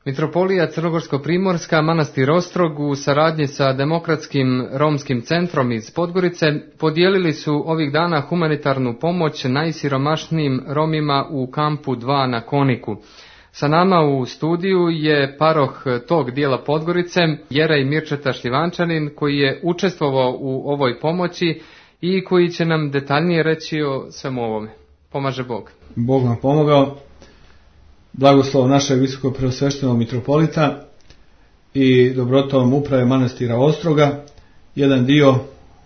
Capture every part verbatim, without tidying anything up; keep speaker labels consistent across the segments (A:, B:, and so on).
A: Mitropolija Crnogorsko-primorska, manastir Ostrog u saradnji sa Demokratskim romskim centrom iz Podgorice podijelili su ovih dana humanitarnu pomoć najsiromašnijim Romima u kampu dva na Koniku. Sa nama u studiju je paroh tog dijela Podgorice, Jerej Mirčeta Šljivančanin, koji je učestvovao u ovoj pomoći i koji će nam detaljnije reći o svemu ovome. Pomaže Bog.
B: Bog nam pomogao. Blagoslov našeg visoko preosveštenog mitropolita i dobrotom uprave manastira Ostroga. Jedan dio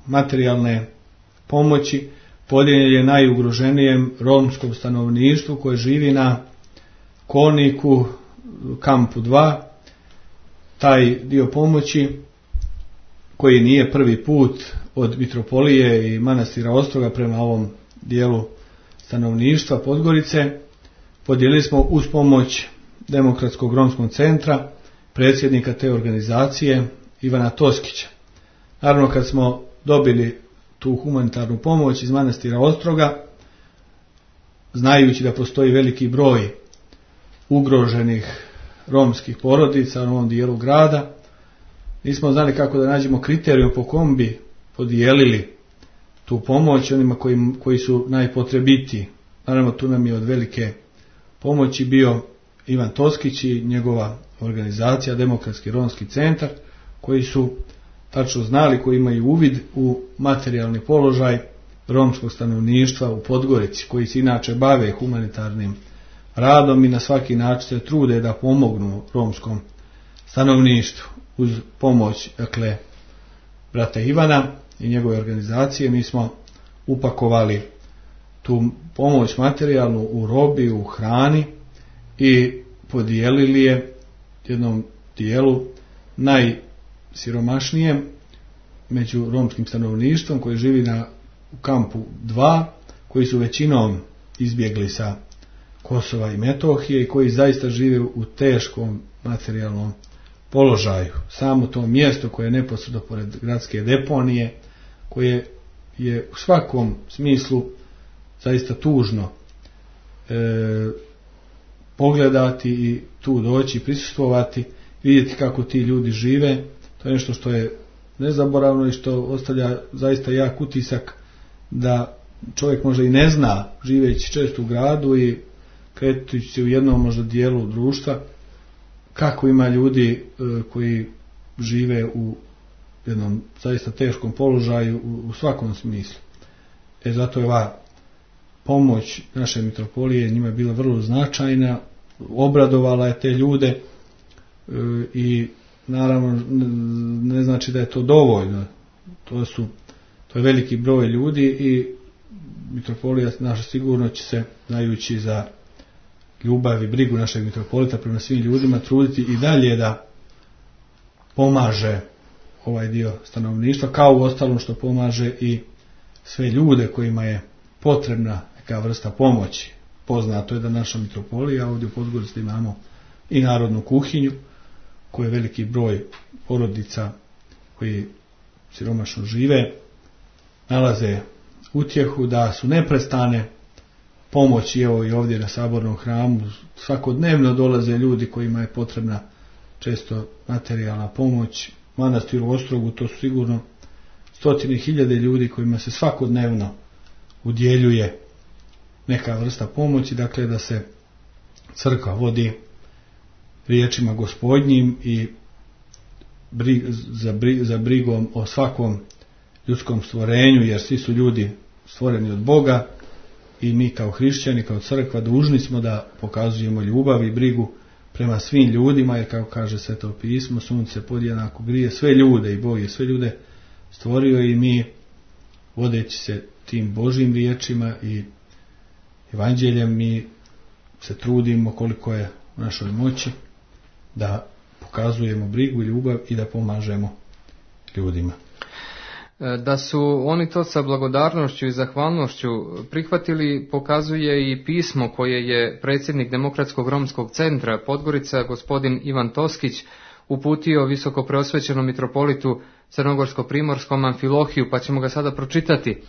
B: materijalne pomoći podijeljen je najugroženijem romskom stanovništvu koje živi na Koniku, kampu dva. Taj dio pomoći, koji nije prvi put od mitropolije i manastira Ostroga prema ovom dijelu stanovništva Podgorice, podijelili smo uz pomoć Demokratskog romskog centra, predsjednika te organizacije Ivana Toskića. Naravno, kad smo dobili tu humanitarnu pomoć iz manastira Ostroga, znajući da postoji veliki broj ugroženih romskih porodica u ovom dijelu grada, nismo znali kako da nađemo kriterijum po kom bi podijelili tu pomoć onima koji, koji su najpotrebitiji. Naravno, tu nam je od velike pomoći bio Ivan Toskić i njegova organizacija Demokratski romski centar, koji su tačno znali, koji imaju uvid u materijalni položaj romskog stanovništva u Podgorici, koji se inače bave humanitarnim radom i na svaki način se trude da pomognu romskom stanovništvu. Uz pomoć, dakle, brata Ivana i njegove organizacije, mi smo upakovali tu pomoć materijalnu u robi, u hrani i podijelili je jednom dijelu najsiromašnijem među romskim stanovništvom koji živi na u kampu dva, koji su većinom izbjegli sa Kosova i Metohije i koji zaista žive u teškom materijalnom položaju. Samo to mjesto koje je neposredno pored gradske deponije, koje je u svakom smislu zaista tužno e, pogledati i tu doći, prisustvovati, vidjeti kako ti ljudi žive. To je nešto što je nezaboravno i što ostavlja zaista jak utisak da čovjek možda i ne zna, živeći često u gradu i kretujući se u jednom možda dijelu društva, kako ima ljudi e, koji žive u jednom zaista teškom položaju u, u svakom smislu. E zato je ova pomoć naše mitropolije njima je bila vrlo značajna, obradovala je te ljude e, i naravno ne znači da je to dovoljno. To su, to je veliki broj ljudi i mitropolija naša sigurno će se, znajući za ljubav i brigu našeg mitropolita prema svim ljudima, truditi i dalje da pomaže ovaj dio stanovništva, kao u ostalom što pomaže i sve ljude kojima je potrebna neka vrsta pomoći. Poznato je da naša mitropolija ovdje u Podgorici imamo i narodnu kuhinju, koji je veliki broj porodica koji siromašno žive, nalaze utjehu, da su neprestane pomoći. Evo i ovdje na Sabornom hramu svakodnevno dolaze ljudi kojima je potrebna često materijalna pomoć. Manastiru Ostrogu to su sigurno stotine hiljade ljudi kojima se svakodnevno udjeljuje neka vrsta pomoći, dakle da se crkva vodi riječima Gospodnjim i brig, za, brig, za brigom o svakom ljudskom stvorenju, jer svi su ljudi stvoreni od Boga i mi kao hrišćani, kao crkva dužni smo da pokazujemo ljubav i brigu prema svim ljudima, jer kao kaže Sveto pismo, sunce podjednako grije sve ljude i Bog je sve ljude stvorio i mi, vodeći se tim Božjim riječima i evanđeljem, mi se trudimo koliko je u našoj moći da pokazujemo brigu i ljubav i da pomažemo ljudima.
A: Da su oni to sa blagodarnošću i zahvalnošću prihvatili pokazuje i pismo koje je predsjednik Demokratskog romskog centra Podgorica, gospodin Ivan Toskić, uputio visoko preosvećenom mitropolitu Crnogorsko-primorskom Amfilohiju, pa ćemo ga sada pročitati.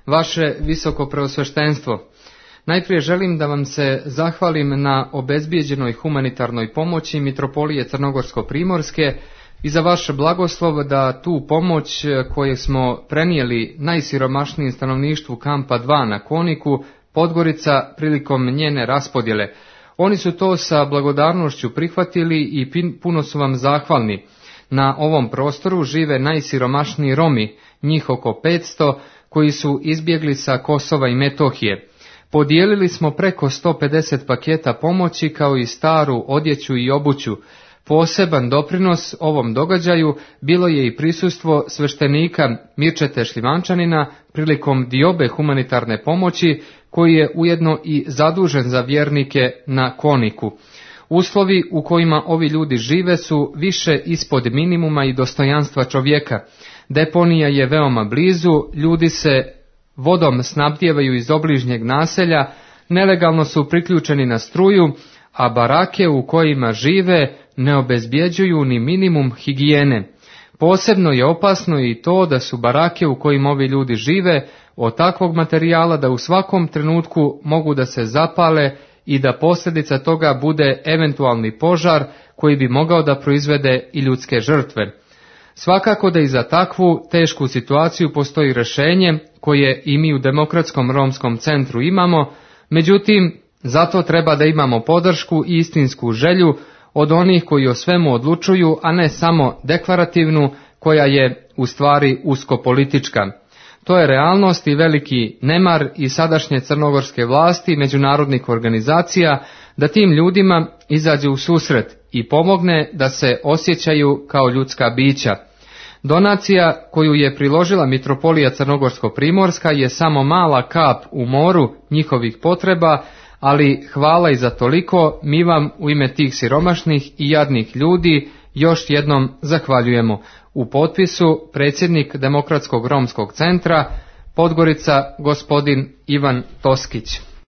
A: Vaše visoko preosveštenstvo, Najprije želim da vam se zahvalim na obezbijeđenoj humanitarnoj pomoći Mitropolije Crnogorsko-primorske i za vaš blagoslov da tu pomoć koju smo prenijeli najsiromašnijem stanovništvu kampa dva na Koniku, Podgorica, prilikom njene raspodjele. Oni su to sa blagodarnošću prihvatili i puno su vam zahvalni. Na ovom prostoru žive najsiromašniji Romi, njih oko petsto, koji su izbjegli sa Kosova i Metohije. Podijelili smo preko sto pedeset paketa pomoći kao i staru odjeću i obuću. Poseban doprinos ovom događaju bilo je i prisustvo sveštenika Mirčete Šljivančanina prilikom diobe humanitarne pomoći, koji je ujedno i zadužen za vjernike na Koniku. Uslovi u kojima ovi ljudi žive su više ispod minimuma i dostojanstva čovjeka. Deponija je veoma blizu, ljudi se vodom snabdijevaju iz obližnjeg naselja, nelegalno su priključeni na struju, a barake u kojima žive ne obezbjeđuju ni minimum higijene. Posebno je opasno i to da su barake u kojima ovi ljudi žive od takvog materijala da u svakom trenutku mogu da se zapale i da posljedica toga bude eventualni požar koji bi mogao da proizvede i ljudske žrtve. Svakako da i za takvu tešku situaciju postoji rješenje koje i mi u Demokratskom romskom centru imamo, međutim, zato treba da imamo podršku i istinsku želju od onih koji o svemu odlučuju, a ne samo deklarativnu, koja je u stvari uskopolitička. To je realnost i veliki nemar i sadašnje crnogorske vlasti i međunarodnih organizacija da tim ljudima izađe u susret i pomogne da se osjećaju kao ljudska bića. Donacija koju je priložila Mitropolija Crnogorsko-primorska je samo mala kap u moru njihovih potreba, ali hvala i za toliko, mi vam u ime tih siromašnih i jadnih ljudi još jednom zahvaljujemo. U potpisu predsjednik Demokratskog romskog centra Podgorica, gospodin Ivan Toskić.